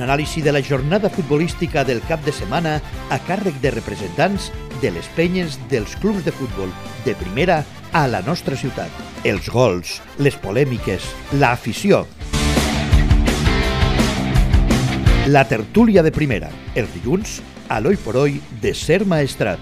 L'anàlisi de la jornada futbolística del cap de setmana a càrrec de representants de les penyes dels clubs de futbol de primera a la nostra ciutat. Els gols, les polèmiques, l'afició. La tertúlia de primera, els dilluns, a l'Oi por Oi de Ser Maestrat.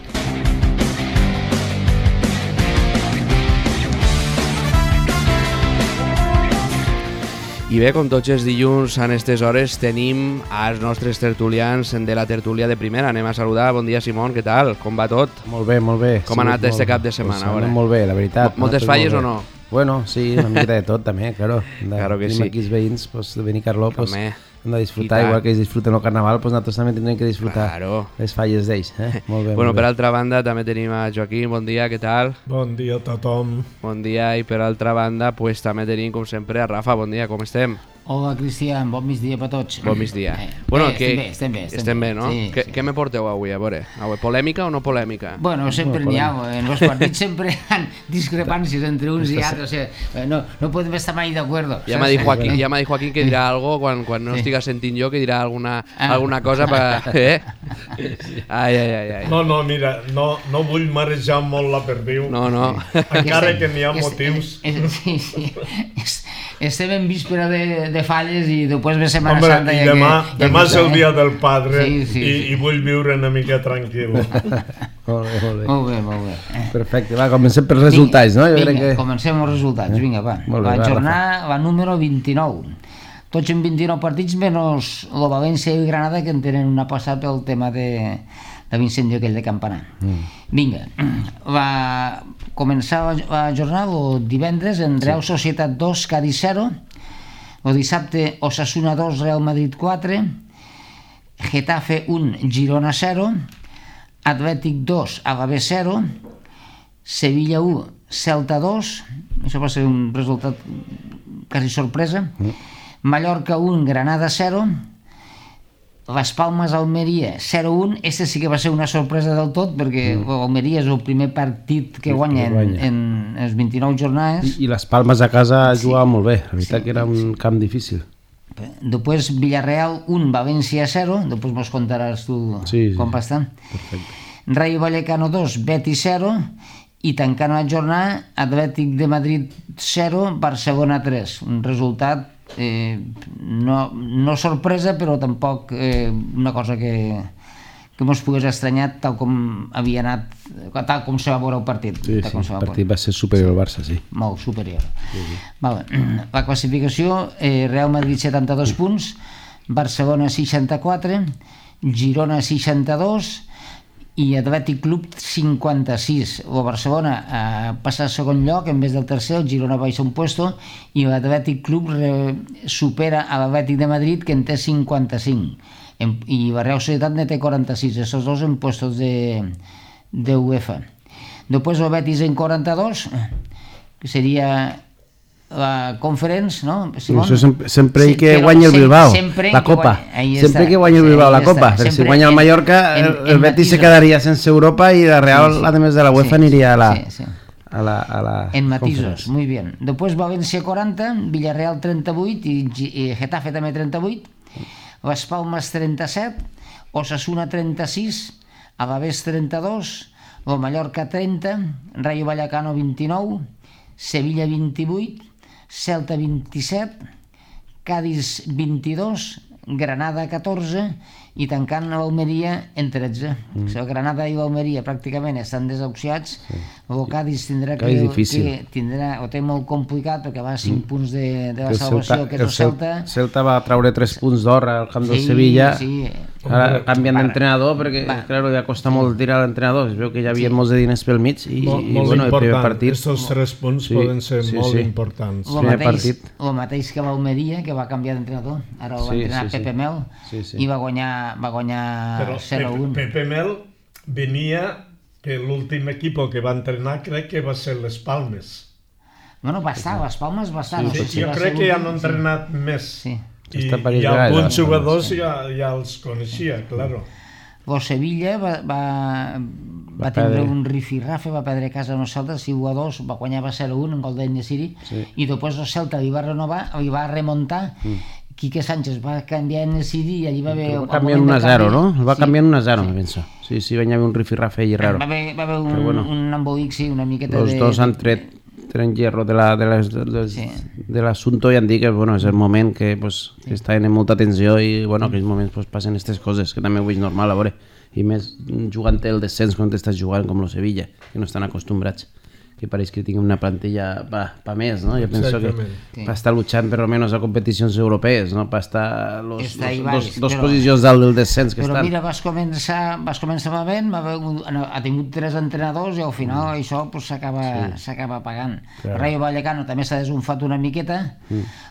I bé, com tots els dilluns a aquestes hores tenim els nostres tertulians de la tertúlia de primera. Anem a saludar. Bon dia, Simón, què tal? Com va tot? Molt bé, molt bé. Com ha anat este cap de setmana? Pues molt bé, la veritat. Moltes falles o no? Bueno, sí, una miqueta de tot també, claro. Claro que sí. Aquí els veïns de Benicarló també. Hem de disfrutar, igual que ells disfruten el carnaval, doncs nosaltres també tindrem que disfrutar les falles d'ells. Molt bé. Bueno, per altra banda també tenim a Joaquim, bon dia, què tal? Bon dia a tothom. Bon dia, i per altra banda pues, també tenim com sempre a Rafa, bon dia, com estem? Hola Cristian, bon migdia per tots. Bon migdia. Bueno, estem bé, no? Sí, què me porteu avui, a veure? Polèmica o no polèmica? Bueno, sempre n'hi ha, en els partits sempre hi ha discrepàncies entre uns i altres, no podem estar mai d'acord. Ja m'ha dit Joaquín que dirà algo quan no estiga sentint jo, que dirà alguna cosa per... Ai. No, mira, no vull marejar molt la perdiu. No. Encara que n'hi ha motius. Sí. Estem en víspera de falles i després ve Setmana Santa. I demà és el dia del padre i vull viure una mica tranquil. Molt bé. Perfecte, va, comencem pels resultats, no? Vinga, comencem els resultats, vinga, va. La jornada número 29. Tots en 29 partits, menys el València i Granada, que en tenen una passada pel tema de l'incendi aquell de Campanar. Vinga, va començar la jornada el divendres en Real Societat 2, Cádiz 0, el dissabte Osasuna 2, Real Madrid 4, Getafe 1, Girona 0, Atlètic 2, Alavés 0, Sevilla 1, Celta 2, això va ser un resultat quasi sorpresa, Mallorca 1, Granada 0, Les Palmes Almeria 0-1, este sí que va ser una sorpresa del tot perquè Almeria és el primer partit que guanya en les 29 jornades i Les Palmes a casa jugava molt bé, la veritat que era un camp difícil. Després Villarreal 1, València 0, després mos contaràs tu com va estar. Rayo Vallecano 2, Betis 0 i tancant la jornada Atlètic de Madrid 0, Barcelona 3, un resultat no sorpresa però tampoc una cosa que mos pogués estranyar tal com havia anat, tal com se va veure el partit. Sí, el partit va ser superior al Barça, sí. Molt superior. Vale. La classificació, Real Madrid 72 punts, Barcelona 64, Girona 62 i Atlètic Club 56. El Barcelona passa a segon lloc en vez del tercer, el Girona baixa un puesto i l'Atlètic Club supera a l'Atlètic de Madrid, que en té 55 i la Real Societat ne té 46, esos dos en puestos de UEFA. Després el Betis en 42, que seria la Conference, no? Això sempre que guanya el Bilbao, la Copa. Sempre que guanya el Bilbao la Copa. Si guanya el Mallorca, el Betis se quedaria sense Europa i la Real, a més de la UEFA, aniria a la en matisos, muy bien. Després València 40, Villarreal 38 i Getafe també 38, Les Palmes 37, Osasuna 36, Alavés 32, el Mallorca 30, Rayo Vallecano 29, Sevilla 28, Celta 27, Cádiz 22, Granada 14 i tancant l'Almeria en 13. Granada i l'Almeria pràcticament estan desahuciats. El Cádiz tindrà ho té molt complicat perquè va a 5 punts de la salvació, que és el Celta. Celta va treure 3 punts d'or al camp del Sevilla. Ara canvien d'entrenador perquè ja costa molt tirar l'entrenador, es veu que ja havia molts de diners pel mig i el primer partit, aquests 3 punts poden ser molt importants. El mateix que l'Almeria, que va canviar d'entrenador, ara el va entrenar Pepe Mel i va guanyar 0-1. Pepe Mel venia que l'últim equip que va entrenar crec que va ser Les Palmes. Bueno, va estar, Les Palmes va estar. Jo crec que ja no han entrenat més. I alguns jugadors ja els coneixia, claro. El Sevilla va tindre un rifirrafe, va perdre a casa amb el Celta 6-2, va guanyar 0-1 en gol d'En-Nesyri i després el Celta li va renovar, li va remuntar Quique Sánchez va canviar en el CD i allí va haver... Va canviar en 1-0, no? El va canviar en 1-0, me penso. Sí, va haver un rifirrafe allí raro. Va haver un embolic, sí, una miqueta de... Los dos han tret hierro de l'assumpte i han dit que és el moment que estaven en molta tensió i en aquells moments passen aquestes coses, que també ho veig normal, a veure. I més jugant el descens quan t'estàs jugant com el Sevilla, que no estan acostumbrats. Que pareix que tinguin una plantilla pa més, no? Jo penso que per estar luchant per almenys a competicions europees, no? Per estar dos posicions dalt del descens que estan. Però mira, vas començar malament, ha tingut 3 entrenadors i al final això s'acaba pagant. Rayo Vallecano també s'ha desunfat una miqueta.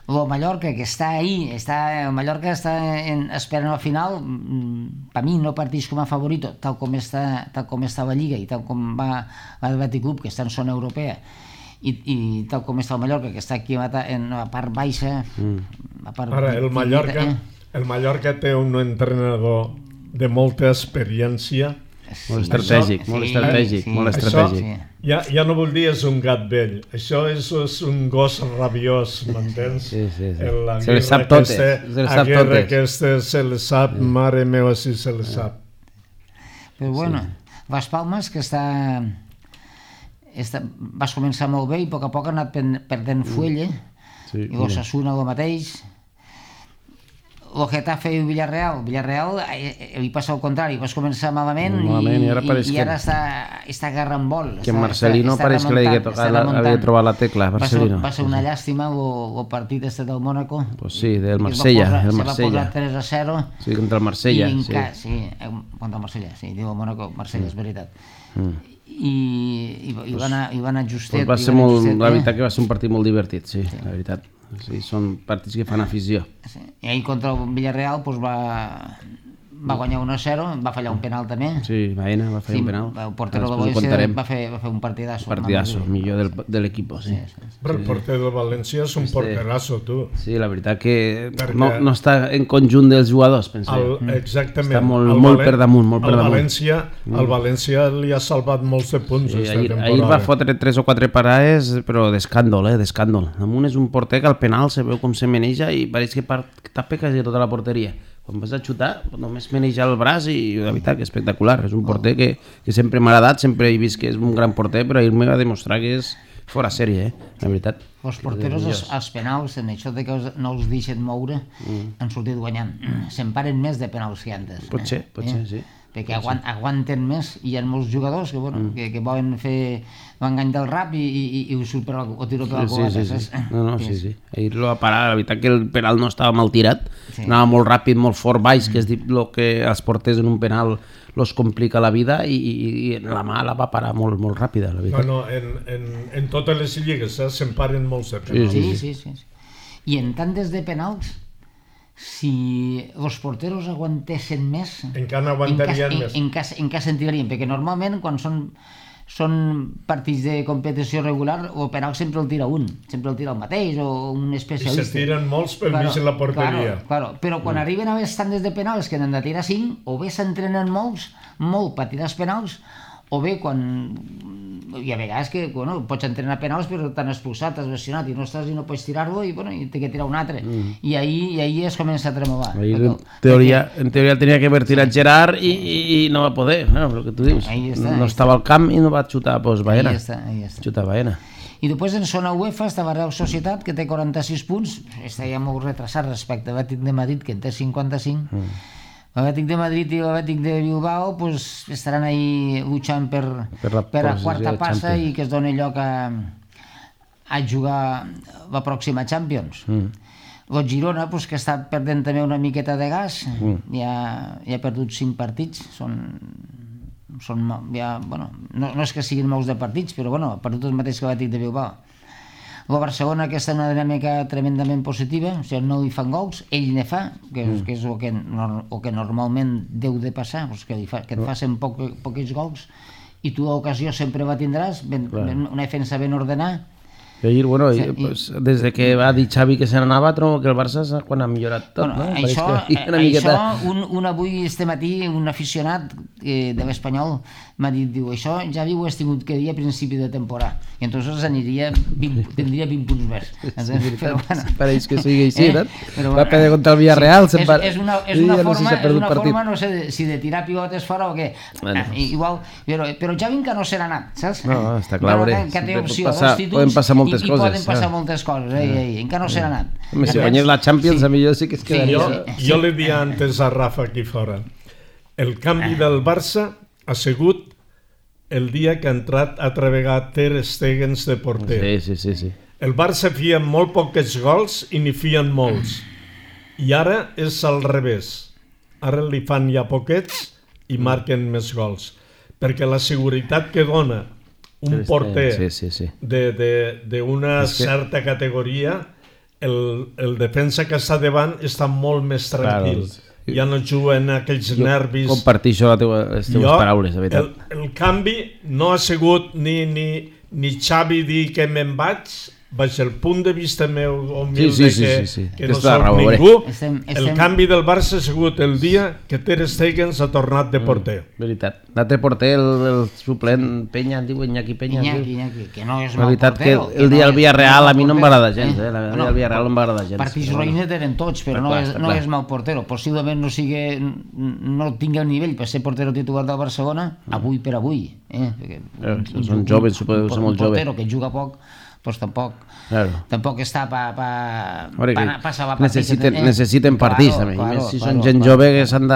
El Mallorca, que està ahí, el Mallorca està esperant al final, per mi no parteix com a favorito, tal com està la Lliga i tal com va l'Atlètic Club, que està en zona europea, i tal com està el Mallorca, que està aquí en la part baixa. Ara, el Mallorca té un entrenador de molta experiència, molt estratègic. Ja no vol dir és un gat vell, això és un gos rabiós, m'entens? Sí. Se les sap totes. Se les sap, mare meva, si se les sap. Però bueno, Las Palmas, que vas començar molt bé i a poc a poc ha anat perdent fuelle, i l'Osasuna el mateix. El Getafe i el Villarreal li passa al contrari, vas començar malament i ara està agarrant vol. Que Marcelino pareix que l'havia trobat la tecla. Va ser una llàstima el partit del Mónaco. Pues sí, del Marsella. Se va posar 3-0. Sí, contra el Marsella. Sí, contra el Marsella, sí, diu el Mónaco, Marsella, és veritat. I va anar justet. La veritat que va ser un partit molt divertit, sí, la veritat. Sí, són partits que fan afició. I ahir contra el Villarreal va guanyar 1-0, va fallar un penal també. Sí, Baena va fallar un penal. El portero del València va fer un partidazo. Partidazo, millor de l'equip, sí. Però el porter del València és un porterazo, tu. Sí, la veritat que no està en conjunt dels jugadors, penso. Exactament. Està molt per damunt, El València li ha salvat molts de punts aquesta temporada. Ahir va fotre 3 o 4 parades, però d'escàndol, d'escàndol. Damunt és un porter que al penal se veu com se maneja i pareix que tapa quasi tota la porteria. Quan vas a xutar, només maneja el braç i la veritat que és espectacular. És un porter que sempre m'ha agradat, sempre he vist que és un gran porter, però ahir m'ha de demostrar que és fora sèrie, la veritat. Els porteros, els penals, en això que no els deixen moure, han sortit guanyant. S'emparen més de penals que antes. Pot ser, sí. Perquè aguanten més i hi ha molts jugadors que volen fer l'engany del rap i ho surt o tiro per la culata. Sí. Ahir lo va parar, la veritat que el penal no estava mal tirat, anava molt ràpid, molt fort baix, que és el que els porters en un penal los complica la vida i la mà la va parar molt ràpida, la veritat. En totes les lligues s'emparen molts de penals. Sí. I en tantes de penals, si els porteros aguantessin més, encara aguantarien més. Encara sentirien, perquè normalment quan són partits de competició regular, el penal sempre el tira un, sempre el tira el mateix o un especialista. I se tiren molts per mig en la porteria. Claro, però quan arriben a les tandes de penals que n'han de tirar 5, o bé s'entrenen molt per tirar els penals, o bé quan... Hi ha vegades que pots entrenar penals però t'han expulsat, t'has lesionat i no pots tirar-lo i t'he que tirar un altre. I ahir es comença a tremolar. En teoria tenia que haver tirat Gerard i no va poder, el que tu dius. No estava al camp i no va xutar Baena. Xutar Baena. I després en zona UEFA estava Real Societat, que té 46 punts, està ja molt retrasat respecte a l'Atlètic de Madrid, que en té 55. L'Atlètic de Madrid i l'Atlètic de Bilbao estaran ahí luchant per la quarta passa i que es doni lloc a jugar la pròxima Champions. El Girona, que està perdent també una miqueta de gas, ja ha perdut 5 partits, no és que siguin molts de partits, però ha perdut el mateix que l'Atlètic de Bilbao. El Barcelona, que està en una dinàmica tremendament positiva, o sigui, no li fan gols, ell ne fa, que és el que normalment deu de passar, que et facin pocs gols, i tu l'ocasió sempre la tindràs, una defensa ben ordenada, Ahir, bueno, des que va dir Xavi que se n'anava, trobo que el Barça quan ha millorat tot, no? Això, un avui, este matí, un aficionat de l'Espanyol m'ha dit, diu, això ja ho has tingut que dir a principi de temporada, i entonces tindria 20 punts més. Pareix que sigui així, no? Va perdre contra el Villarreal, és una forma, no sé si de tirar pivotes fora o què, igual, però Xavi encara no serà anat, saps? No, està clar, que té opció dos títols i poden passar moltes coses, encara no serà anat. Si guanyés la Champions, a millor sí que es quedaria. Jo li dia antes a Rafa aquí fora, el canvi del Barça ha sigut el dia que ha entrat altra vegada Ter Stegen de porter. Sí. El Barça fia molt pocs gols i n'hi fien molts. I ara és al revés. Ara li fan ja poquets i marquen més gols. Perquè la seguretat que dona un porter d'una certa categoria, el defensa que està davant està molt més tranquil. Ja no juguen aquells nervis. Compartir això les teves paraules, de veritat. El canvi no ha sigut ni Xavi dir que me'n vaig, baix el punt de vista meu humilde que no soc ningú. El canvi del Barça ha sigut el dia que Ter Stegen s'ha tornat de porter. Veritat. L'altre porter, el suplent Peña, diu Iñaki Peña. Iñaki, que no és mal porter. El dia del Villarreal a mi no em va agradar gens. El dia del Villarreal no em va agradar gens. Partits roïnes eren tots, però no és mal portero. Possiblement no tingui el nivell per ser portero titular del Barcelona, avui per avui. Són joves, suposo que són molt joves. Un portero que juga poc, doncs tampoc està per salvar partits. Necessiten partits també. Si són gent jove que s'han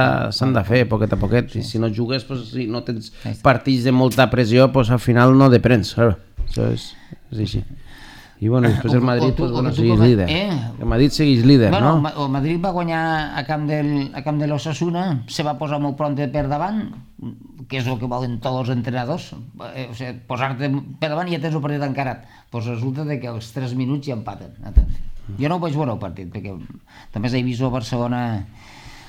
de fer poquet a poquet. Si no jugues, si no tens partits de molta pressió, al final no deprens. Això és així. I bueno, després el Madrid segueix líder. El Madrid segueix líder, no? El Madrid va guanyar a camp de l'Osasuna, se va posar molt pront per davant, que és el que volen tots els entrenadors, posar-te per davant i ja tens el partit encarat. Doncs resulta que als 3 minuts ja empaten. Jo no ho vaig veure el partit, perquè també he vist el Barcelona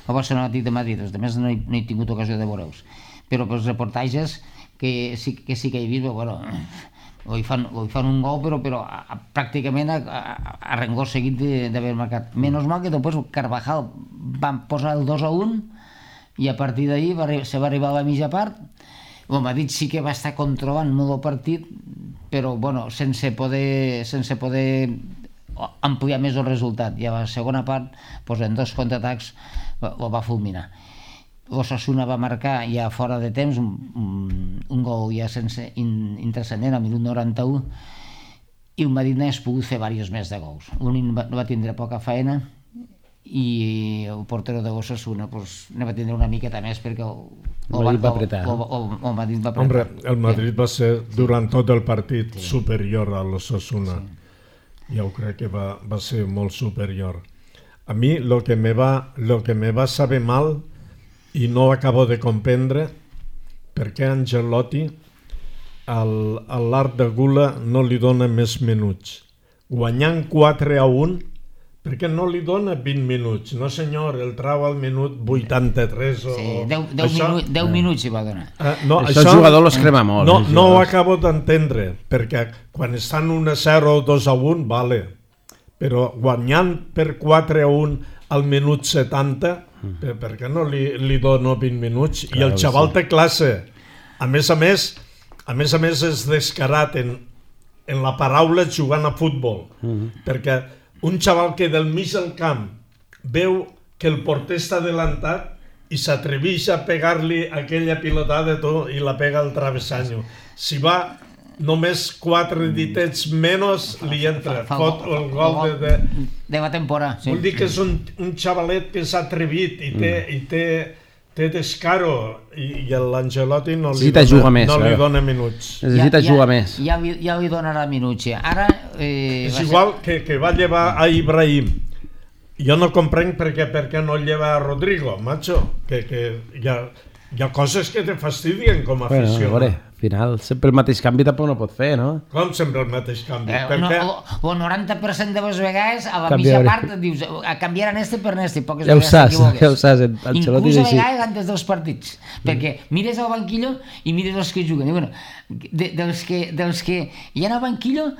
Atlètic de Madrid, també no he tingut ocasió de veure-los. Però pels reportatges que sí que he vist, bueno, hi fan un gol, però pràcticament a rengor seguit d'haver marcat. Menys mal que després Carvajal van posar el 2-1 i a partir d'ahir se va arribar a la mitja part. El Madrid sí que va estar controlant molt el partit, però sense poder ampliar més el resultat. I a la segona part, en 2 contraatacs, el va fulminar. L'Osasuna va marcar ja fora de temps un gol ja sense intrascendent al minut 91 i el Madrid n'ha pogut fer diversos més de gols. L'únic va tindre poca feina i el portero de l'Osasuna ne va tindre una miqueta més perquè el Madrid va apretar. Hombre, el Madrid va ser durant tot el partit superior a l'Osasuna. Jo crec que va ser molt superior. A mi lo que me va saber mal i no acabo de comprendre per què Ancelotti a l'Art de Gula no li dona més minuts. Guanyant 4-1, per què no li dona 20 minuts? No senyor, el trau al minut 83 o... Sí, 10 minuts hi va donar. Això el jugador los crema molt. No ho acabo d'entendre, perquè quan estan 1-0 o 2-1, vale, però guanyant per 4-1 al minut 70, per què no li dono 20 minuts? I el xaval té classe. A més a més és descarat en la paraula jugant a futbol, perquè un xaval que del mig del camp veu que el porter està adelantat i s'atreveix a pegar-li aquella pilotada i la pega al travessanyo. Si va només 4 ditets menys li entra, fot el gol de la temporada. Vull dir que és un xavalet que s'ha atrevit i té descaro i l'Ancelotti no li dona minuts. Necessita jugar més. Ja li donarà minuts. És igual que va llevar a Ibrahim. Jo no comprenc per què no lleva a Rodrigo, macho, que hi ha coses que te fastidien com a aficionat. Al final, sempre el mateix canvi tampoc no pot fer, no? Com sempre el mateix canvi? El 90% de les vegades a la mitja part dius, canviaran per este, poques vegades t'equivoques. Ja ho saps, Ancelotti és així. Inclús a vegades antes dels partits, perquè mires al banquillo i mires els que juguen. Dels que hi ha al banquillo,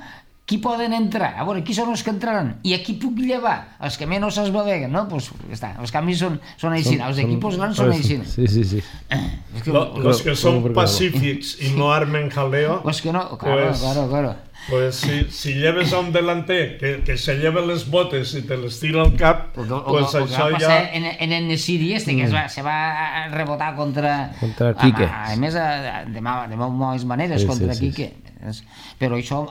qui poden entrar? A veure, qui són els que entraran? I a qui puc llevar? Els que menys es beveguen, no? Doncs ja està, els canvis són així, els equipos grans són així. Sí. Los que són pacífics i no armen jaleo... Pues que no, claro. Pues si lleves a un delanter que se lleve les botes i te les tira al cap, pues això ja... En el Nesiri que se va rebotar contra Quique. A més, de moltes maneres contra Quique. Però això...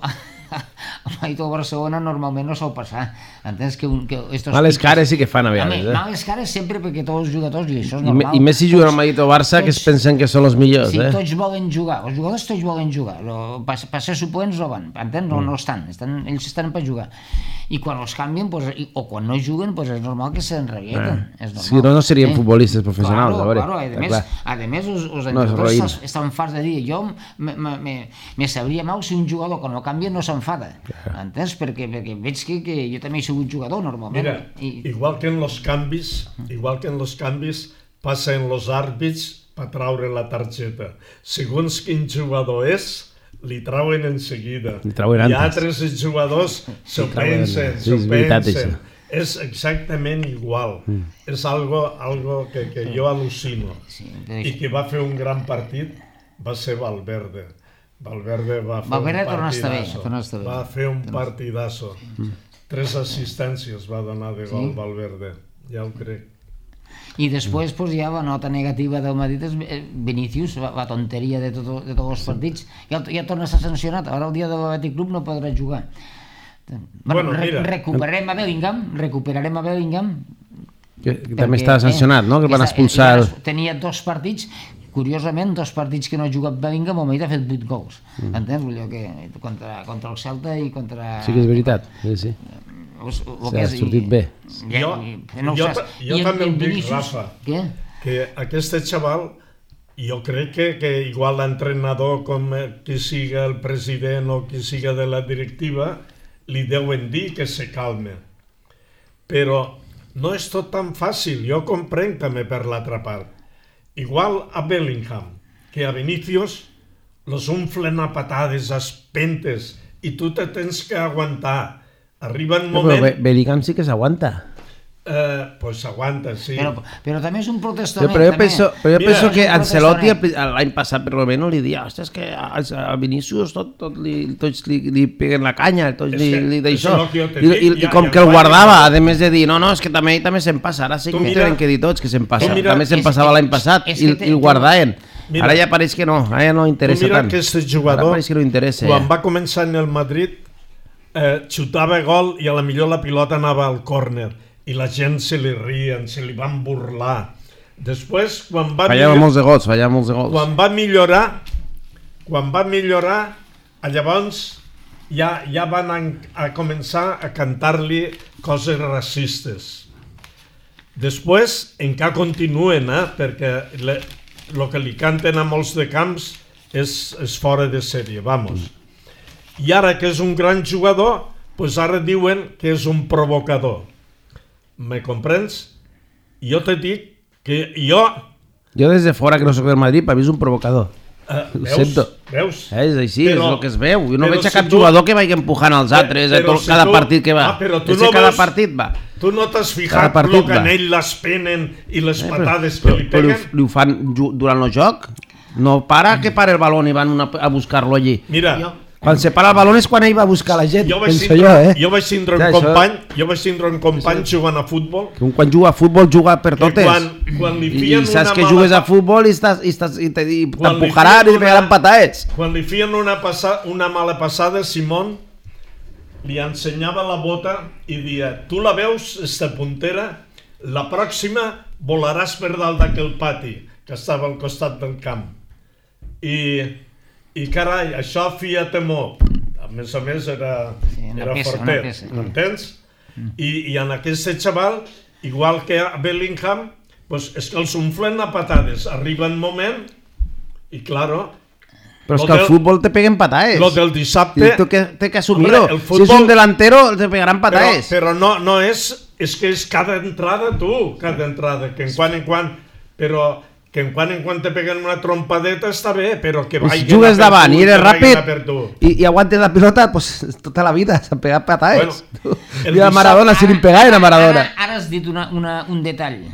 a Barcelona normalment no sol passar. Entens que males cares sí que fan a vegades. Males cares sempre perquè tots els jugadors, i això és normal. I més si juguen al Madrid o Barça, que es pensen que són els millors. Sí, tots volen jugar, els jugadors tots volen jugar. Per ser suplents no van, entens? No estan, ells estan per jugar. I quan els canvien, o quan no juguen, és normal que se'nrevienten. Si no, no serien futbolistes professionals. Claro, a més, els entrenadors estan farts de dir, jo me sabria mal si un jugador que no canvia no s'enfada, entens? Perquè veig que jo també he sigut jugador normalment. Mira, igual que en los canvis passa en los àrbits per traure la targeta. Segons quin jugador és, li trauen en seguida. I altres jugadors s'ho pensen. És exactament igual. És algo que jo al·lucino. I qui va fer un gran partit va ser Valverde. Valverde va fer un partidazo. 3 assistències va donar de gol Valverde. Ja ho crec. I després ja la nota negativa del Madrid és Vinícius, la tonteria de tots els partits. Ja torna a ser sancionat, ara el dia de l'Atlètic Club no podrà jugar. Recuperarem a Bellingham, que també està sancionat, no? Que van expulsar... Tenia 2 partits, curiosament, 2 partits que no ha jugat Bellingham, el Madrid ha fet 8 gols. Entens? Contra el Celta i contra... Sí que és veritat, sí. S'ha sortit bé. Jo també ho dic, Rafa, que aquest xaval, jo crec que igual l'entrenador, com qui siga el president o qui siga de la directiva, li deuen dir que se calme. Però no és tot tan fàcil, jo comprenc també per l'altra part. Igual a Bellingham, que a Vinícius los unflen a patades, a espentes, i tu te tens que aguantar. Arriba un moment... Però Bellingham sí que s'aguanta. Pues s'aguanta, sí. Però també és un protestament. Però jo penso que Ancelotti l'any passat per almenys li dia, ostres, que a Vinícius tots li peguen la canya, tots li d'això. I com que el guardava, a més de dir, no, és que també se'n passa, ara sí que tenen que dir tots que se'n passa. També se'n passava l'any passat i el guardaven. Ara ja pareix que no, ara ja no interessa tant. Mira que aquest jugador, quan va començar en el Madrid, xutava gol i a la millor la pilota anava al córner i la gent se li rien, se li van burlar. Després, quan va millorar, llavors ja van a començar a cantar-li coses racistes. Després, encara continuen, perquè el que li canten a molts de camps és fora de sèrie, vamos. I ara que és un gran jugador, doncs ara diuen que és un provocador. Me comprens? Jo te dic que jo... Jo des de fora, que no soc del Madrid, per mi és un provocador. Ho sento. Veus? És així, és el que es veu. Jo no veig a cap jugador que vagi empujant els altres cada partit que va. Cada partit va. Tu no t'has fijat el que en ell les penen i les patades que li peguen? Però ho fan durant el joc? No para que para el baló i van a buscar-lo allí. Mira... Quan se para el baló és quan ell va buscar la gent, penso jo, Jo vaig tindre un company jugant a futbol. Quan juga a futbol juga per totes. I saps que jugues a futbol i t'empujaran i te pegaran patades. Quan li feien una mala passada, Simón li ensenyava la bota i dia, tu la veus, esta puntera, la pròxima volaràs per dalt d'aquell pati que estava al costat del camp. I carai, això feia temor. A més era fortet, m'entens? I en aquest xaval, igual que a Bellingham, és que els unflen a patades. Arriba un moment i, claro... Però és que al futbol te peguen patades. Lo del dissabte... Tu té que assumir-ho. Si és un delantero, te pegaran patades. Però no és... És que és cada entrada, tu, cada entrada, que en quan... Però que en quan te peguen una trompadeta està bé, però que vagin si jugues davant i eres ràpid i aguantes la pilota, pues tota la vida s'han pegat patades. I a Maradona si li pegaven a Maradona. Ara has dit un detall.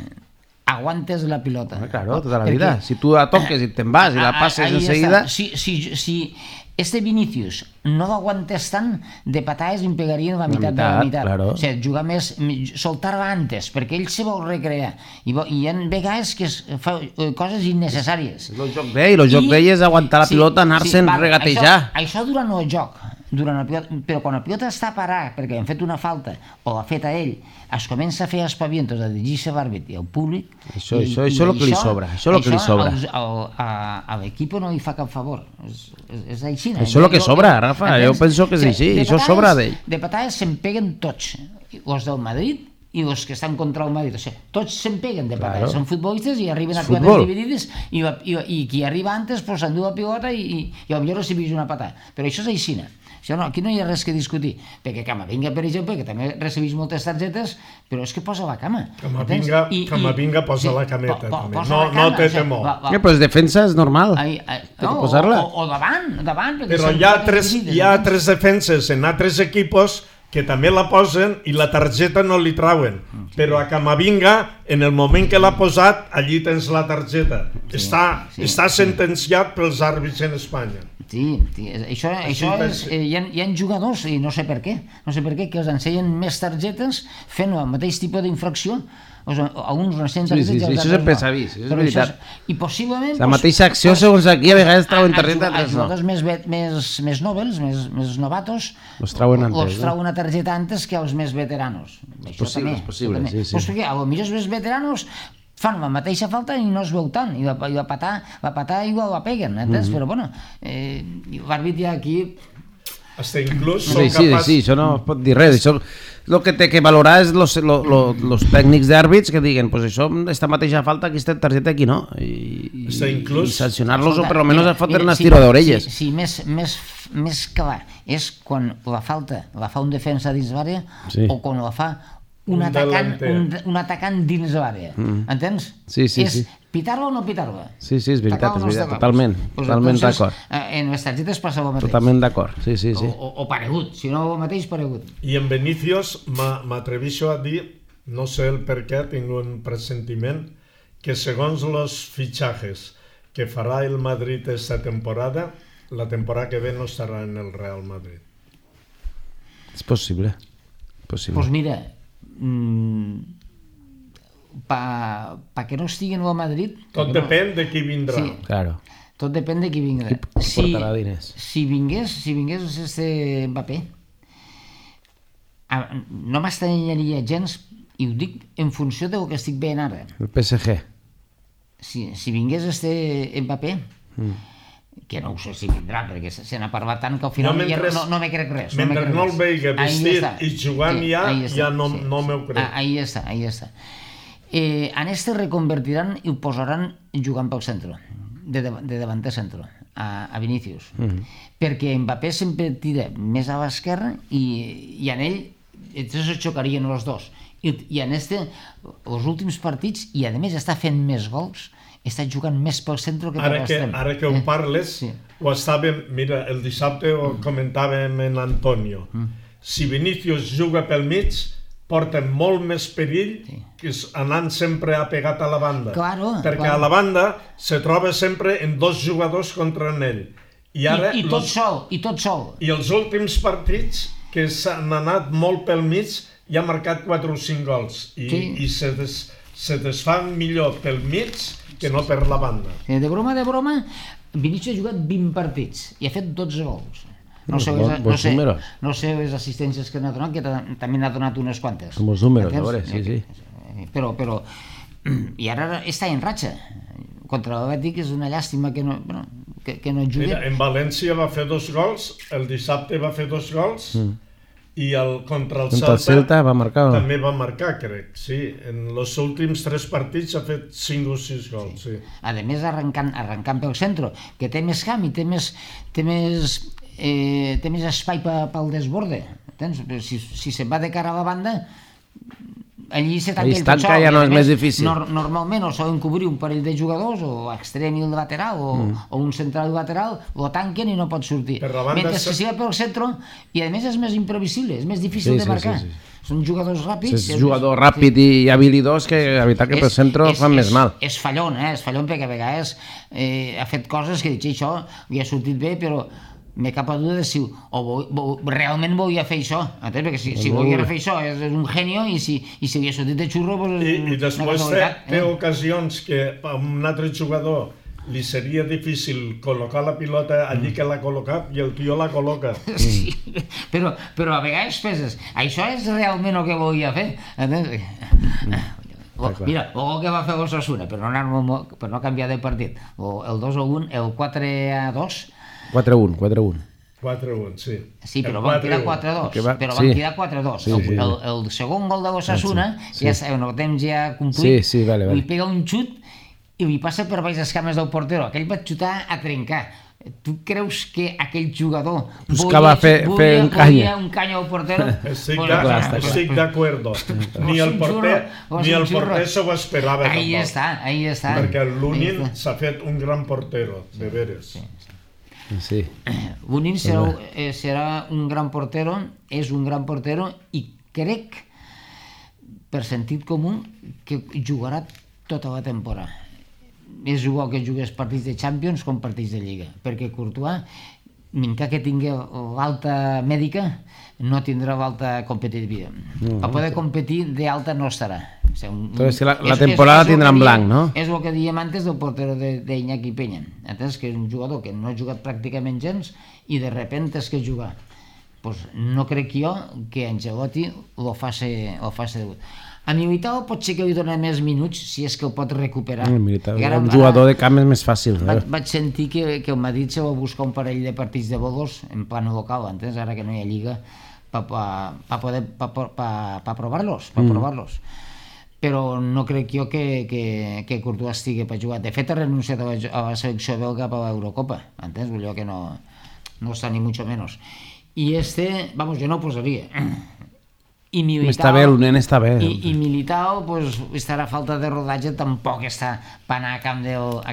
Aguantes la pilota. Claro, tota la vida. Si tu la toques i te'n vas i la passes enseguida... Si este Vinícius no l'aguantes tant, de patades em pegarien la meitat de la meitat. Claro. O sigui, jugar més, soltar-la antes, perquè ell se vol recrear. I hi ha vegades que fa coses innecessàries. El joc d'ell, el joc d'ell és aguantar la pilota, anar-se'n regatejar. Això durant el joc, però quan la pilota està parada perquè han fet una falta o l'ha fet a ell, es comença a fer espavientos a dirigir-se a l'àrbit i al públic. Això és el que li sobra. Això a l'equip no li fa cap favor. És així. Això és el que sobra, Rafa. Jo penso que és així. Això sobra d'ell. De patades se'n peguen tots. Els del Madrid i els que estan contra el Madrid. O sigui, tots se'n peguen de patades. Són futbolistes i arriben a pilotades dividides i qui arriba antes s'endú la pilota i potser recibeix una patada. Però això és així. Aquí no hi ha res que discutir, perquè Camavinga, per exemple, que també recibeix moltes targetes, però és que posa la cama. Camavinga posa la cameta, també. No té temor. Però és defensa, és normal. O davant. Però hi ha tres defenses en altres equipos que també la posen i la targeta no li trauen. Però a Camavinga, en el moment que l'ha posat, allí tens la targeta. Està sentenciat pels àrbits en Espanya. Sí, això és... Hi ha jugadors, i no sé per què, que els ensenyen més targetes fent el mateix tipus d'infracció. A uns recents targetes i això sempre s'ha vist, és veritat. I possiblement... La mateixa acció, segons aquí, a vegades trauen targeta, els jugadors més nobles, més novatos, els trauen una targeta antes que els més veteranos. És possible, sí. Doncs perquè potser els més veteranos fan la mateixa falta i no es veu tant, i la patada igual la peguen, entens? Però bueno, l'àrbit ja aquí... Hasta inclús són capaços... Sí, això no pot dir res, això... El que té que valorar és els tècnics d'àrbits que diguen, pues això, esta mateixa falta, aquesta targeta aquí no, i sancionar-los o per almenys fotre una estira d'orelles. Sí, més clar és quan la falta la fa un defensa dins l'àrea o quan la fa un atacant dins l'àrea, entens? Sí. És pitar-la o no pitar-la? Sí, és veritat, totalment d'acord. En les targetes passa el mateix. Totalment d'acord, sí. O paregut, si no el mateix, paregut. I en Vinícius m'atreveixo a dir, no sé el per què, tinc un pressentiment, que segons els fitxajes que farà el Madrid esta temporada, la temporada que ve no estarà en el Real Madrid. És possible. Pues mira... perquè no estiguin a Madrid... Tot depèn de qui vindrà. Sí, claro. Tot depèn de qui vindrà. Qui portarà diners. Si vingués este Mbappé, no m'estranyaria gens, i ho dic en funció del que estic veient ara. El PSG. Si vingués este Mbappé, que no ho sé si vindrà, perquè se n'ha parlat tant que al final no me crec res. Mentre no el veig vestit i jugant ja no m'ho crec. Ahí està. En este reconvertiran i ho posaran jugant pel centre, de davanter centre, a Vinícius. Perquè Mbappé sempre tira més a l'esquerra i en ell es xocarien els dos. I en els últims partits, i a més està fent més gols, està jugant més pel centre que per l'extrem. Ara que ho parles, ho estàvem... Mira, el dissabte ho comentàvem en Antonio. Si Vinícius juga pel mig, porta molt més perill que anant sempre apegat a la banda. Perquè a la banda se troba sempre en dos jugadors contra ell. I tot sol. I els últims partits, que s'han anat molt pel mig, ja ha marcat 4 o 5 gols. I se desfan millor pel mig que no per la banda. De broma, Vinícius ha jugat 20 partits i ha fet 12 gols. No sé les assistències que n'ha donat, que també n'ha donat unes quantes. Bons números, a veure, sí. Però... I ara està en ratxa. Contra l'Atlètic és una llàstima que no jugui. En València va fer 2 gols, el dissabte va fer 2 gols, i contra el Celta també va marcar, crec, sí. En els últims 3 partits ha fet 5 o 6 gols, sí. A més, arrencant pel centre, que té més camp i té més espai pel desborde. Si se'n va de cara a la banda, allí se tanca ja no és més difícil. Normalment o solen cobrir un parell de jugadors, o extrem i el lateral, o un central i lateral, lo tanquen i no pot sortir. Mentre que si va pel centre, i a més és més imprevisible, és més difícil de marcar. Són jugadors ràpids. És jugador ràpid i habilidós que la veritat que pel centre fan més mal. És fallon perquè a vegades ha fet coses que dic, això li ha sortit bé, però m'he cap a duda de si realment volia fer això. Perquè si volia fer això és un genio, i si li ha sortit de xurro... I després té ocasions que a un altre jugador li seria difícil col·locar la pilota allí que l'ha col·locat i el tio la col·loca. Sí, però a vegades penses, això és realment el que volia fer? Mira, el que va fer l'Osasuna, per no canviar de partit, el 2-1, el 4-2... 4-1. 4-1, sí. Sí, però van quedar 4-2. Però van quedar 4-2. El segon gol de l'Osasuna, ja sabeu, el temps ja complit, li pega un xut i li passa per baix les cames del portero. Aquell va xutar a trencar. Tu creus que aquell jugador buscava fer un canya al portero? Estic d'acord. Ni el porter s'ho esperava tampoc. Ahí està. Perquè l'Unin s'ha fet un gran portero, de veres. Sí. L'Unin serà un gran portero, és un gran portero, i crec, per sentit comú, que jugarà tota la temporada. És igual que jugués partits de Champions com partits de Lliga, perquè Courtois, mentre que tingui l'alta mèdica, no tindrà l'alta competitiva. Per poder competir d'alta no estarà. Entonces la temporada tindrà en blanc, no? És el que dèiem antes del portero d'Iñaki Peña. Entens que és un jugador que no ha jugat pràcticament gens i de repente és que jugar. No crec jo que Ancelotti lo faci debut. A Militao pot ser que li doni més minuts si és que el pot recuperar. Un jugador de camp és més fàcil. Vaig sentir que el Madrid se va buscar un parell de partits de bolos en plan local, entens? Ara que no hi ha lliga, per provar-los. Però no crec jo que Courtois estigui per jugar. De fet, ha renunciat a la selecció belga per l'Eurocopa, entens? Vull dir que no està ni mucho menos. I jo no ho posaria. Està bé, el nen està bé. I Militao, estarà a falta de rodatge, tampoc està per anar a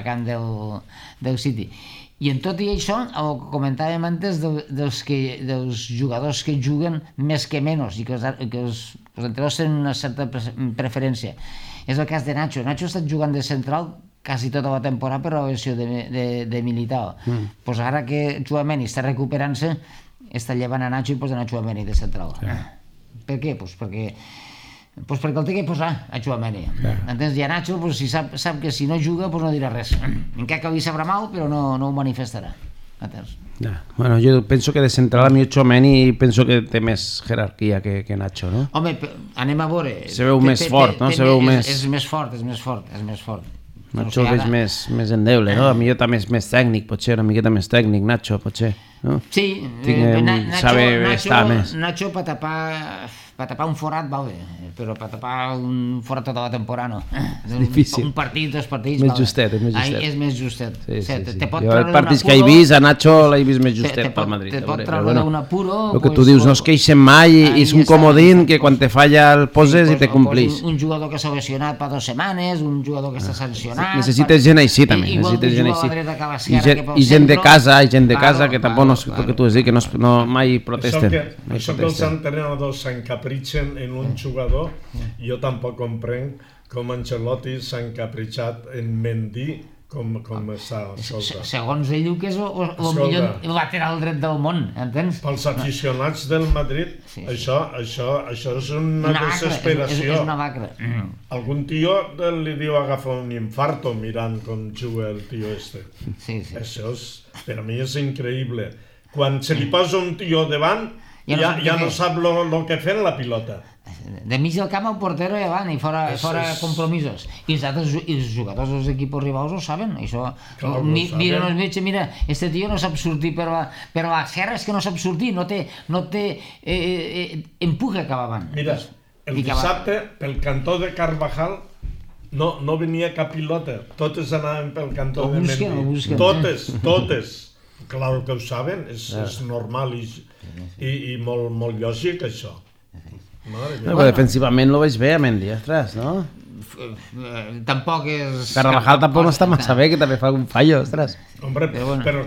camp del City. I en tot i això, el que comentàvem antes dels jugadors que juguen més que menys i que els entrenadors tenen una certa preferència. És el cas de Nacho. Nacho ha estat jugant de central quasi tota la temporada per la lesió de Militao. Ara que Tchouaméni està recuperant-se, està llevant a Nacho i posa a Tchouaméni de central. Per què? Perquè el té que posar a Tchouaméni. Entens? I a Nacho sap que si no juga no dirà res. Encara que li sabrà mal, però no ho manifestarà. Bueno, jo penso que de central a mi Tchouaméni penso que té més jerarquia que Nacho, no? Home, anem a veure. Se veu més fort, no? És més fort. Nacho és més endeble, no? A mi també és més tècnic, potser, una miqueta més tècnic, Nacho, potser. Sí, Nacho per tapar un forat va bé, però per tapar un forat tota la temporada no. És difícil. Un partit, dos partits... És més justet. Jo els partits que he vist, a Nacho l'he vist més justet pel Madrid. Te pot treure d'un apuro... El que tu dius, no es queixen mai, és un comodín que quan te falla el poses i te complís. Un jugador que s'ha lesionat per 2 setmanes, un jugador que està sancionat... Necessites gent així també. I gent de casa, que tampoc no és el que tu has dit, que mai protesten. Això que els entrenadors s'encapritxen en un jugador, jo tampoc comprenc com Ancelotti s'ha encapritxat en Mendy com està. Segons ell diu que és el millor lateral dret del món, entens? Pels aficionats del Madrid, això és una desesperació. És una lacra. Algun tio li diu agafa un infarto mirant com juga el tio este. Això per a mi és increïble. Quan se li posa un tio davant, ja no sap el que fer en la pilota. De mig del camp el portero i avant, i fora compromisos. I els jugadors dels equips rivals ho saben, això. Mira, este tio no sap sortir per l'esquerra, és que no sap sortir, no té empuje cap avant. Mira, el dissabte, pel cantó de Carvajal, no venia cap pilota, totes anaven pel cantó de Mendy. Totes. Clar que ho saben, és normal i molt lògic això. Defensivament lo veig bé a Mendy, ostres, no? Tampoc és... Carvajal tampoc no està massa bé, que també fa algun fallo, ostres. Hombre, però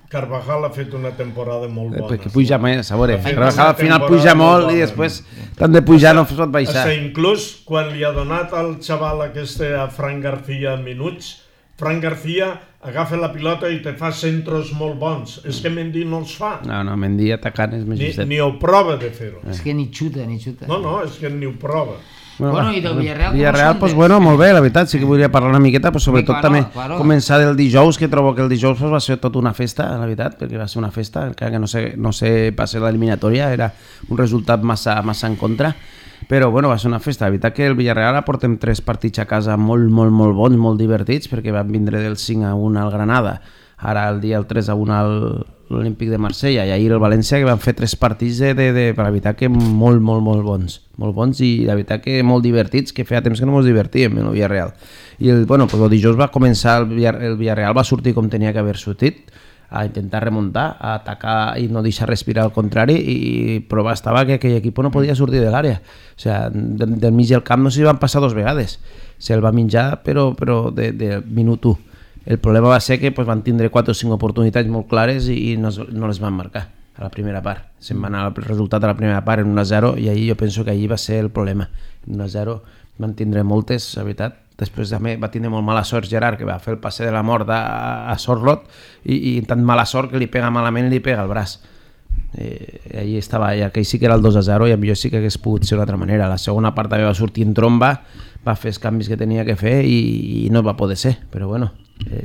Carvajal ha fet una temporada molt bona. Perquè puja més, a veure, Carvajal al final puja molt i després tant de pujar no es pot baixar. Inclús quan li ha donat al xaval aquest a Fran García minuts, Fran García agafa la pilota i te fa centros molt bons. És que Mendy no els fa. No, Mendy atacant és més justet. Ni ho prova de fer-ho. És que ni xuta. No, és que ni ho prova. Bueno, i del Villarreal, Villarreal, pues bueno, molt bé, la veritat, sí que volia parlar una miqueta, però sobretot també començar del dijous, que trobo que el dijous va ser tot una festa, la veritat, perquè va ser una festa, encara que no sé passar l'eliminatòria, era un resultat massa en contra, però bueno, va ser una festa. La veritat que el Villarreal portem 3 partits a casa molt bons, molt divertits, perquè van vindre del 5-1 al Granada, ara el dia el 3-1 a l'Olímpic de Marsella, i ahir el València, que van fer 3 partits de la veritat que molt bons i la veritat que molt divertits, que feia temps que no ens divertíem en el Villarreal. I el dijous va començar, el Villarreal va sortir com tenia que haver sortit, a intentar remuntar, a atacar i no deixar respirar al contrari, i prova estava que aquell equip no podia sortir de l'àrea. O sigui, del mig del camp no s'hi van passar 2 vegades. Se'l va menjar, però de minut 1. El problema va ser que van tindre 4 o 5 oportunitats molt clares i no les van marcar a la primera part. Se'n va anar el resultat a la primera part en 1-0 i ahir jo penso que ahir va ser el problema. En 1-0 van tindre moltes, la veritat. Després també va tindre molt mala sort Gerard, que va fer el passe de la mort a Sorlot i tant mala sort que li pega malament i li pega el braç. Ahir estava, ja que sí que era el 2-0 i millor sí que hagués pogut ser d'una altra manera. La segona part també va sortir en tromba, va fer els canvis que tenia que fer i no va poder ser, però bueno,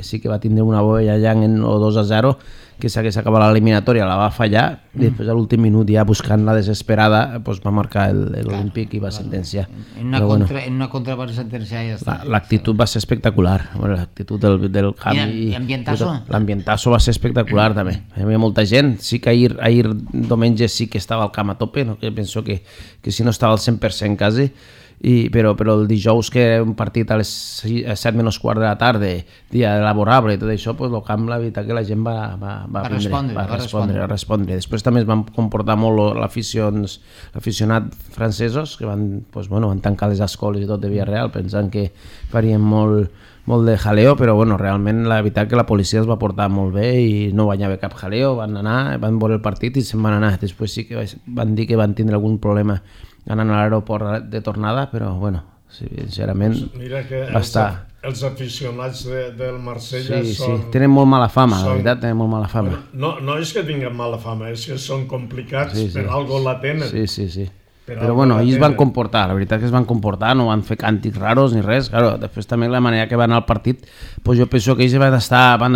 sí que va tindre una boia allà en el 2-0 que s'hagués acabat l'eliminatòria, la va fallar i després a l'últim minut ja buscant la desesperada va marcar l'Olímpic i va sentenciar. En una contra va sentenciar i ja està. L'actitud va ser espectacular, l'actitud del camp i l'ambientasso? L'ambientasso va ser espectacular també, hi havia molta gent. Sí que ahir diumenge sí que estava al camp a tope, no? Que penso que si no estava al 100% quasi, però el dijous, que era un partit a les 7 menys quart de la tarda, dia laborable i tot això, el camp, la veritat que la gent va respondre. Després també es van comportar molt l'aficionat francesos, que van tancar les escoles i tot de Villarreal pensant que farien molt de jaleo, però realment la veritat que la policia els va portar molt bé i no va haver cap jaleo, van anar, van veure el partit i se'n van anar. Després sí que van dir que van tindre algun problema anant a l'aeroport de tornada, però sincerament va estar... Els aficionats del Marsella són... tenen molt mala fama, la veritat, tenen molt mala fama. No és que tinguin mala fama, és que són complicats, per algo la tenen. Sí. Però ells van comportar, la veritat que es van comportar, no van fer càntics raros ni res. Claro, després també la manera que van anar al partit, jo penso que ells van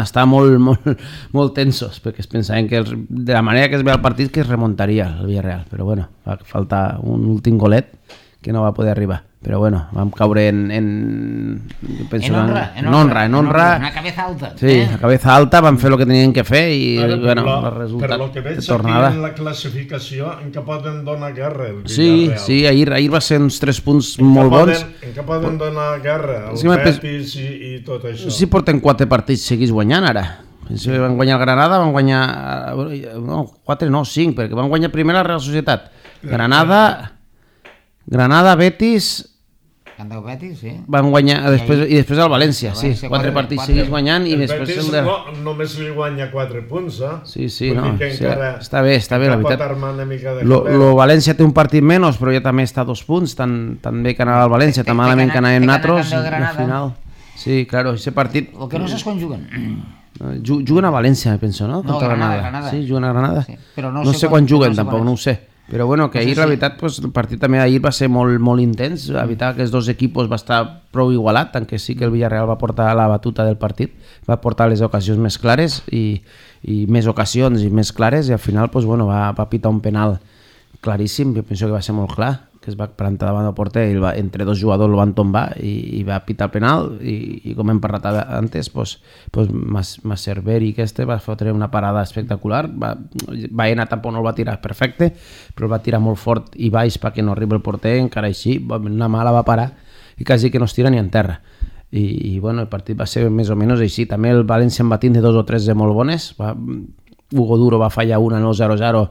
estar molt tensos, perquè es pensaven que de la manera que es ve el partit que es remuntaria el Villarreal, però va faltar un últim golet que no va poder arribar. Però vam caure en honra. Una cabeza alta. Sí, la cabeza alta, van fer el que tenien que fer i el resultat per lo que veig de tornada. Aquí en la classificació en què poden donar guerra el Villarreal. Sí, ahir va ser uns 3 punts molt bons. En què poden donar guerra el Betis i tot això. Sí, porten 4 partits seguits guanyant ara. Si van guanyar el Granada, van guanyar... No, 4 no, 5, perquè van guanyar primer la Real Societat. Granada, Betis... Betis, sí. Van guanyar i després el València, sí. 4 partits seguits guanyant i després... El Betis només li guanya 4 punts, eh? Sí, no, està bé, la veritat. El València té un partit menys, però ja també està a 2 punts, tan bé que anava el València, tan malament que anàvem nosaltres, i al final... Sí, claro, aquest partit... El que no saps quan juguen. Juguen a València, penso, no? No, Granada. Sí, juguen a Granada. No sé quan juguen, tampoc, no ho sé. Però que ahir la veritat el partit també ahir va ser molt intens, la veritat que els dos equips va estar prou igualat, tant que sí que el Villarreal va portar la batuta del partit, va portar les ocasions més clares i més ocasions i més clares, i al final va pitar un penal claríssim, jo penso que va ser molt clar, que es va plantar davant del porter i entre 2 jugadors el van tombar i va pitar el penal i com hem parlat antes, Cerveri que va fotre una parada espectacular. Baena tampoc no el va tirar perfecte, però el va tirar molt fort i baix perquè no arriba el porter, encara així, una mà la va parar i quasi que no es tira ni en terra. I el partit va ser més o menys així. També el València en va tindre 2 o 3 de molt bones, Hugo Duro va fallar una en el 0-0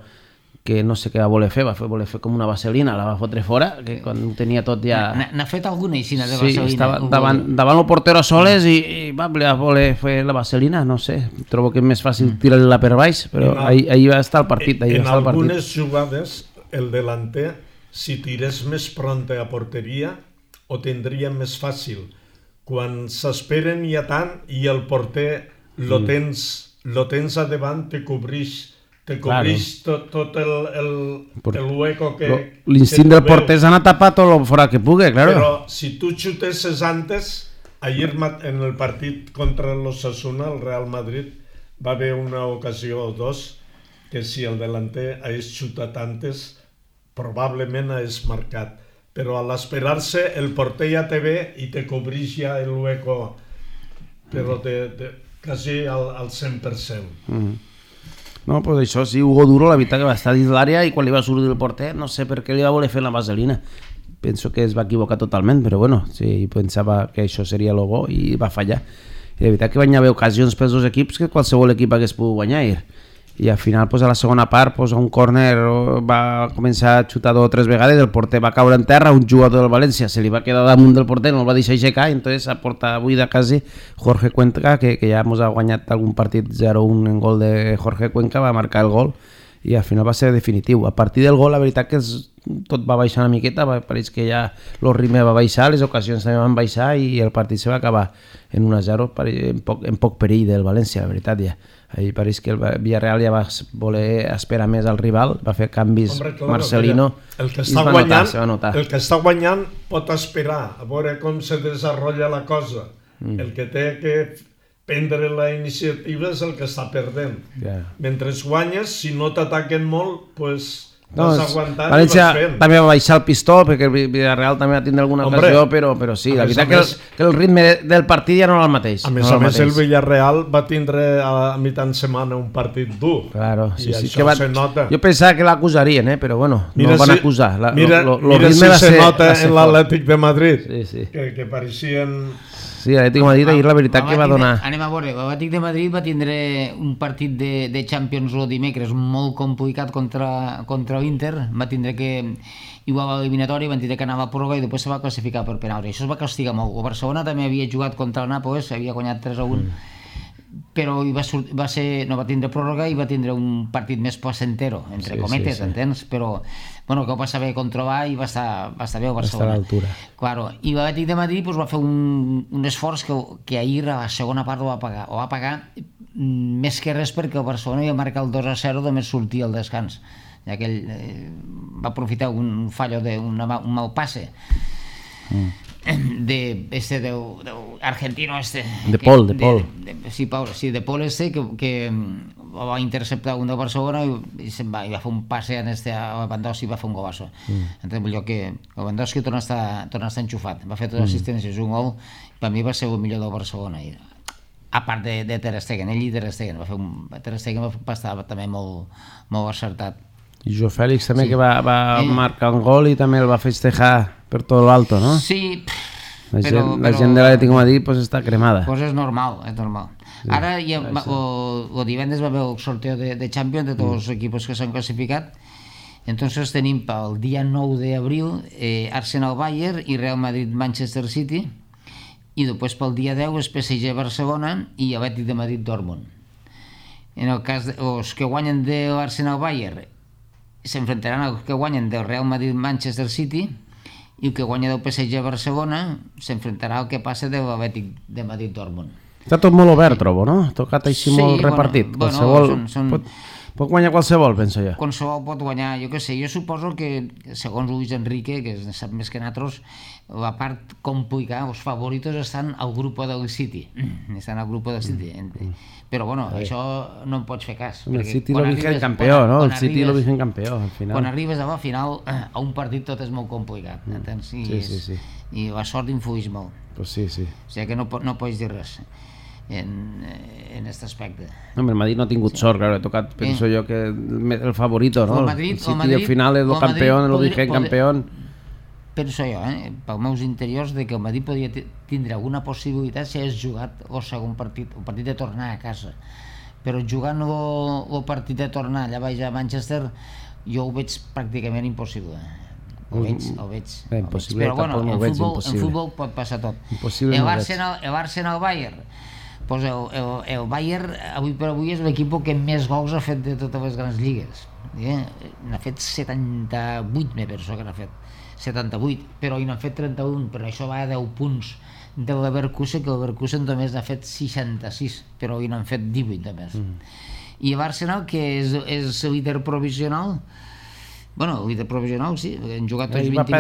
que no sé què va voler fer com una vaselina, la va fotre fora, que quan ho tenia tot ja... N'ha fet alguna aixina de vaselina? Sí, estava davant el portero soles i va voler fer la vaselina, no sé, trobo que és més fàcil tirar-la per baix, però ahir va estar el partit. En algunes jugades, el delanter, si tirés més pronta a porteria, ho tindria més fàcil. Quan s'esperen ja tant i el porter lo tens a davant, te cobreix tot el hueco que... L'instint del porter és anar a tapar tot el fora que pugui, claro. Però si tu xutesses antes, ahir en el partit contra l'Osasuna, el Real Madrid, va haver una ocasió o dos que si el delanter hagués xutat antes, probablement hagués marcat. Però a l'esperar-se, el porter ja te ve i te cobreix ja el hueco, però quasi al 100%. No, pues això sí, Hugo Duro, la veritat que va estar dins l'àrea i quan li va sortir el porter, no sé per què li va voler fer la vaselina. Penso que es va equivocar totalment, però bueno, sí, pensava que això seria el bo i va fallar. I la veritat que van haver ocasions pels dos equips que qualsevol equip hagués pogut guanyar ahir. I al final, pues, a la segona part, pues, a un córner va començar a xutar 2 o 3 vegades, el porter va caure en terra, un jugador del València se li va quedar damunt del porter, no el va deixar aixecar, i entonces a porta buida quasi Jorge Cuenca, que ja ens ha guanyat algun partit 0-1 en gol de Jorge Cuenca, va marcar el gol i al final va ser definitiu. A partir del gol, la veritat que tot va baixar una miqueta, pareix que ja el ritme va baixar, les ocasions també van baixar i el partit se va acabar en 1-0 en poc perill del València, la veritat ja. Ahir pareix que el Villarreal ja va voler esperar més al rival, va fer canvis. Marcelino, el que està notar. El que està guanyant pot esperar a veure com se desenvolupa la cosa. El que té que prendre la iniciativa és el que està perdent. Mentre guanyes, si no t'ataquen molt, doncs vas aguantant i vas fent. També va baixar el pistó, perquè el Villarreal també va tindre alguna ocasió, però sí, la veritat que el ritme del partit ja no era el mateix. A més, el Villarreal va tindre a mitjan setmana un partit dur. Claro, i això se nota. Jo pensava que l'acusarien, però bueno, no el van acusar. Mira si se nota en l'Atlètic de Madrid, que pareixien... Sí, l'Atlètic de Madrid ahir la veritat que va donar... Anem a veure, l'Atlètic de Madrid va tindre un partit de Champions el dimecres molt complicat contra l'Inter, va tindre que igual a l'eliminatori, van tindre que anava a pròrroga i després se va classificar per penals, i això es va castigar molt. El Barcelona també havia jugat contra el Nàpoles, havia guanyat 3-1, però no va tindre pròrroga i va tindre un partit més placentero, entre cometes, entens? Però bueno, que ho va saber controlar i va estar bé el Barcelona. Va estar a l'altura. Claro. I l'Atlètic de Madrid va fer un esforç que ahir a la segona part ho va pagar més que res perquè el Barcelona va marcar el 2-0 només sortir al descans, ja que ell va aprofitar un fallo un mal passe de argentino de Paul de Paul que va interceptar un del Barcelona i va fer un passe a Lewandowski i va fer un golazo. Entonces vull dir que Lewandowski torna a estar enxufat, va fer totes les assistències, un gol, per mi va ser el millor del Barcelona, a part de Ter Stegen. Ell i Ter Stegen Ter Stegen va estar també molt acertat. I Jo Fèlix també, que va marcar un gol i també el va festejar per tot l'alto, no? Sí, la gent de l'Atlètic de Madrid pues està cremada. Pues és normal. Ara el divendres va haver el sorteo de Champions de tots els equips que s'han classificat. Entonces tenim pel dia 9 d'abril Arsenal-Bayern i Real Madrid-Manchester City, i després pel dia 10 és PSG-Barcelona i Atlètic de Madrid-Dortmund. En el cas dels que guanyen de l'Arsenal-Bayern s'enfrontaran als que guanyen del Real Madrid-Manchester City, i el que guanya del PSG-Barcelona s'enfrontarà al que passa de l'Atlètic de Madrid-Dortmund. Està tot molt obert, trobo, no? Tocat així molt repartit. Pot guanyar qualsevol, penso jo. Qualsevol pot guanyar, jo què sé. Jo suposo que, segons Luis Enrique, que sap més que nosaltres, la part complicada, els favoritos estan al grup del City. Estan al grup del City. Però bueno, això no en pots fer cas. El City lo vigent campió, no? El City lo vigent campió, al final. Quan arribes a la final, a un partit tot és molt complicat. I la sort influeix molt. Pues sí. O sigui que no pots dir res en aquest aspecte. No, el Madrid no ha tingut sort, claro, he tocat, penso jo que el favorito, ¿no? El City al final és el campió, el vigent campió. Penso jo, pels meus interiors, de que el Madrid podria tindre alguna possibilitat si hagués jugat el segon partit, el partit de tornar a casa. Però jugant el partit de tornar allà baix a Manchester, jo ho veig pràcticament impossible. Ho veig. Impossible, però bueno, en futbol pot passar tot. El Bayern, pues el Bayern avui per avui és l'equip que més gols ha fet de totes les grans lligues. N'ha fet 78, me penso que n'ha fet 78, però n'han fet 31, però això va a 10 punts del Leverkusen, que el Leverkusen només n'ha fet 66, però n'han fet 18 només. I l'Arsenal, que és el líder provisional, bueno, el líder provisional sí, han jugat tots 20 partits.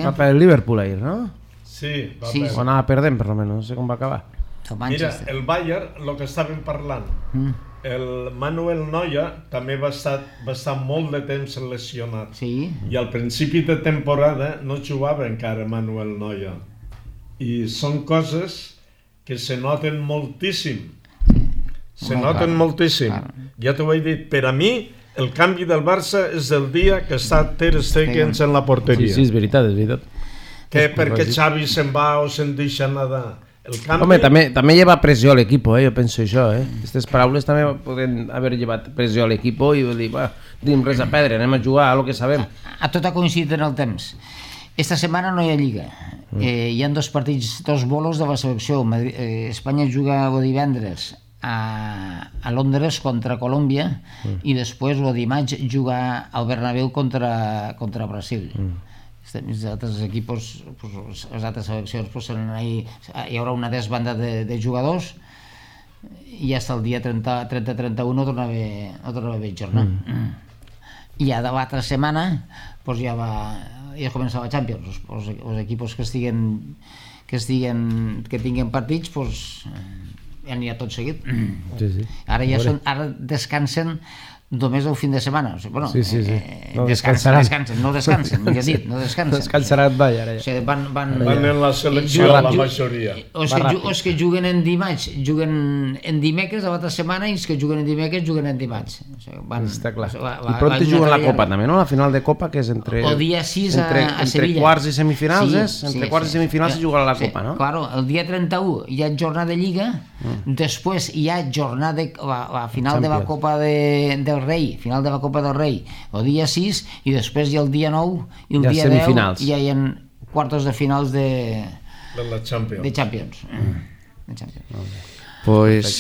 Va per el Liverpool ahir, no? Sí, va per. O anava perdent, per almenys, no sé com va acabar. Mira, el Bayern, el que estàvem parlant, el Manuel Neuer també va estar molt de temps lesionat. Sí. I al principi de temporada no jugava encara Manuel Neuer. I són coses que se noten moltíssim. Se noten moltíssim. Ja t'ho he dit, per a mi el canvi del Barça és el dia que està Ter Stegen en la porteria. Sí, és veritat, és veritat. Que perquè Xavi se'n va o se'n deixa nedar. Home, també lleva pressió a l'equip, jo penso això. Aquestes paraules també poden haver llevat pressió a l'equip i dir, tenim res a perdre, anem a jugar a lo que sabem. A tot ha coincidit en el temps. Esta setmana no hi ha Lliga. Hi ha dos partits, dos bolos de la selecció. Espanya juga el divendres a Londres contra Colòmbia i després el dimarts juga al Bernabéu contra Brasil. Els altres equips, les altres seleccions, hi haurà una desbanda de jugadors i ja el dia 30-31 torna a haver jornada. I ja de l'altra setmana ja comença la Champions. Els equips que tinguen partits ja n'hi ha tot seguit. Ara descansen només el fin de setmana. Bueno, no descansaran. No descansen, millor dit, no descansen. Descansaran mai, ara ja. Van en la selecció la majoria. Els que juguen en dimarts juguen en dimecres a l'altra setmana i els que juguen en dimecres juguen en dimarts. Està clar. I prop juguen la Copa també, no? La final de Copa, que és entre... El dia 6 a Sevilla. Entre quarts i semifinals, és? Entre quarts i semifinals se jugarà la Copa, no? Claro, el dia 31 hi ha jornada de Lliga, després hi ha jornada, la final de la Copa del Rei, final de la Copa del Rei, el dia 6, i després hi ha el dia 9 i el dia 10 ja hi ha quartos de finals de Champions. Pues,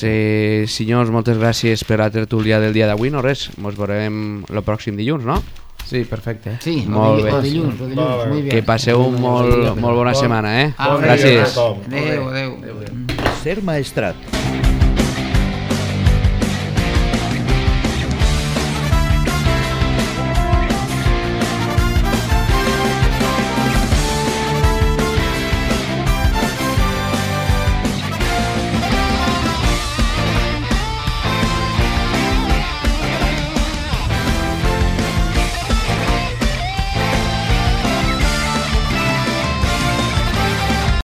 senyors, moltes gràcies per la tertúlia del dia d'avui. No res, ens veurem el pròxim dilluns, no? Sí, perfecte. Sí, el dilluns, muy bien. Que passeu molt bona setmana, Gràcies. Adéu. Ser Maestrat.